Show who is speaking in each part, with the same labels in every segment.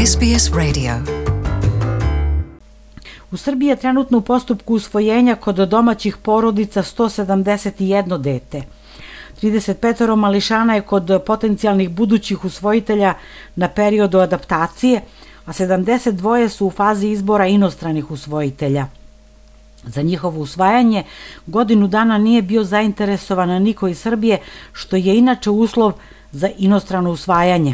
Speaker 1: SBS Radio.
Speaker 2: U Srbiji je trenutno u postupku usvojenja kod domaćih porodica 171 dete. 35 mališana je kod potencijalnih budućih usvojitelja na periodu adaptacije, a 72 su u fazi izbora inostranih usvojitelja. Za njihovo usvajanje godinu dana nije bio zainteresovan niko iz Srbije, što je inače uslov za inostrano usvajanje.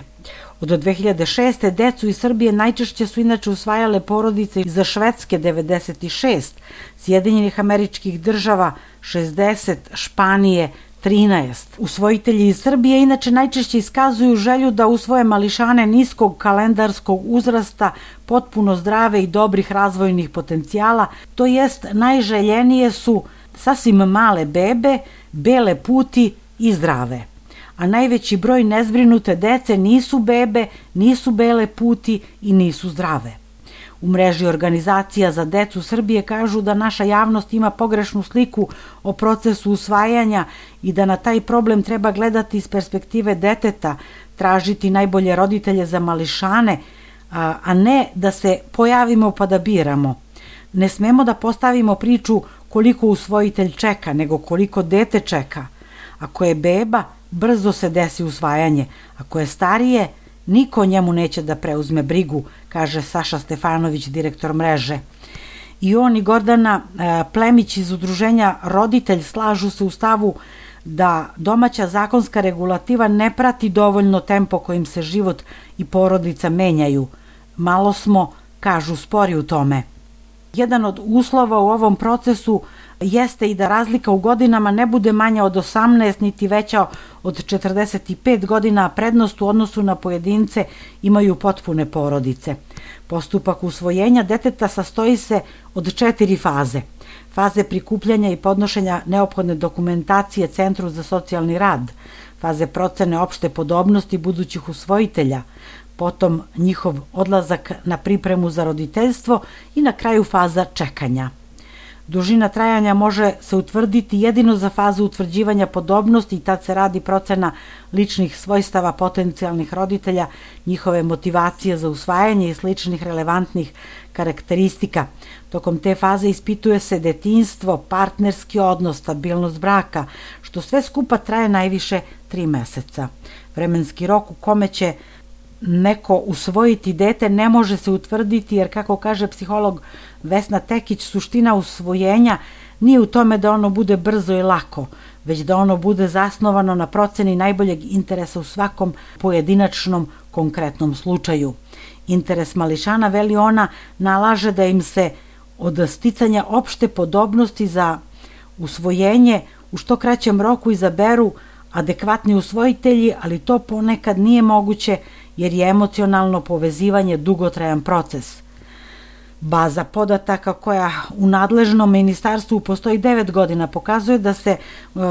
Speaker 2: Od 2006. decu iz Srbije najčešće su inače usvajale porodice iz Švedske 96, Sjedinjenih Američkih Država 60, Španije 13. Usvojitelji iz Srbije inače najčešće iskazuju želju da usvoje mališane niskog kalendarskog uzrasta, potpuno zdrave i dobrih razvojnih potencijala, to jest najželjenije su sasvim male bebe, bele puti i zdrave. A najveći broj nezbrinute dece nisu bebe, nisu bele puti i nisu zdrave. U mreži organizacija za decu Srbije kažu da naša javnost ima pogrešnu sliku o procesu usvajanja i da na taj problem treba gledati iz perspektive deteta, tražiti najbolje roditelje za mališane, a ne da se pojavimo pa da biramo. Ne smemo da postavimo priču koliko usvojitelj čeka, nego koliko dete čeka. Ako je beba, brzo se desi usvajanje. Ako je starije, niko njemu neće da preuzme brigu, kaže Saša Stefanović, direktor mreže. I on i Gordana Plemić iz udruženja Roditelj slažu se u stavu da domaća zakonska regulativa ne prati dovoljno tempo kojim se život i porodica menjaju. Malo smo, kažu, spori u tome. Jedan od uslova u ovom procesu jeste i da razlika u godinama ne bude manja od 18 niti veća od 45 godina, a prednost u odnosu na pojedince imaju potpune porodice. Postupak usvojenja deteta sastoji se od 4 faze. Faze prikupljanja i podnošenja neophodne dokumentacije Centru za socijalni rad, faze procene opšte podobnosti budućih usvojitelja, potom njihov odlazak na pripremu za roditeljstvo i na kraju faza čekanja. Dužina trajanja može se utvrditi jedino za fazu utvrđivanja podobnosti i tad se radi procena ličnih svojstava potencijalnih roditelja, njihove motivacije za usvajanje i sličnih relevantnih karakteristika. Tokom te faze ispituje se detinjstvo, partnerski odnos, stabilnost braka, što sve skupa traje najviše 3 meseca. Vremenski rok u kome će neko usvojiti dete ne može se utvrditi jer, kako kaže psiholog Vesna Tekić, suština usvojenja nije u tome da ono bude brzo i lako, već da ono bude zasnovano na proceni najboljeg interesa u svakom pojedinačnom konkretnom slučaju. Interes mališana, veli ona, nalaže da im se od sticanja opšte podobnosti za usvojenje u što kraćem roku izaberu adekvatni usvojitelji, ali to ponekad nije moguće jer je emocionalno povezivanje dugotrajan proces. Baza podataka koja u nadležnom ministarstvu postoji 9 godina pokazuje da se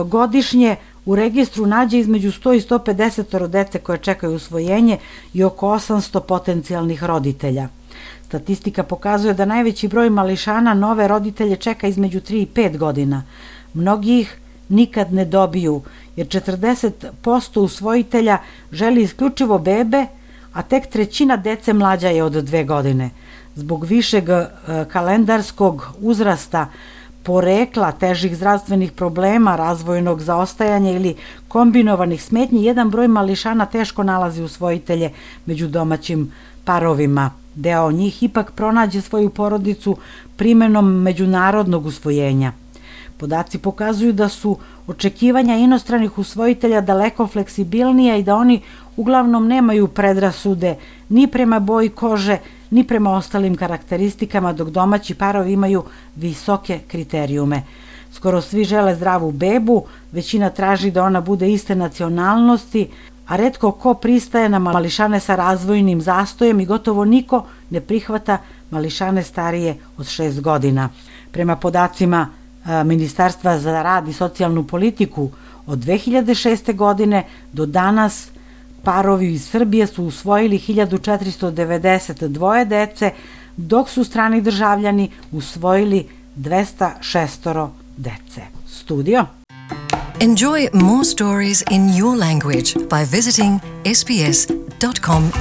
Speaker 2: godišnje u registru nađe između 100 i 150 dece koje čekaju usvojenje i oko 800 potencijalnih roditelja. Statistika pokazuje da najveći broj mališana nove roditelje čeka između 3 i 5 godina. Mnogi ih nikad ne dobiju, jer 40% usvojitelja želi isključivo bebe, a tek trećina dece mlađa je od 2 godine. Zbog višeg kalendarskog uzrasta, porekla, težih zdravstvenih problema, razvojnog zaostajanja ili kombinovanih smetnji, jedan broj mališana teško nalazi usvojitelje među domaćim parovima. Deo njih ipak pronađe svoju porodicu primenom međunarodnog usvojenja. Podaci pokazuju da su očekivanja inostranih usvojitelja daleko fleksibilnija i da oni uglavnom nemaju predrasude ni prema boji kože, ni prema ostalim karakteristikama, dok domaći parovi imaju visoke kriterijume. Skoro svi žele zdravu bebu, većina traži da ona bude iste nacionalnosti, a retko ko pristaje na mališane sa razvojnim zastojem i gotovo niko ne prihvata mališane starije od 6 godina. Prema podacima Ministarstva za rad i socijalnu politiku, od 2006. godine do danas parovi iz Srbije su usvojili 1492 dece, dok su strani državljani usvojili 206 dece. Studio.
Speaker 1: Enjoy more stories in your language by visiting sbs.com.au.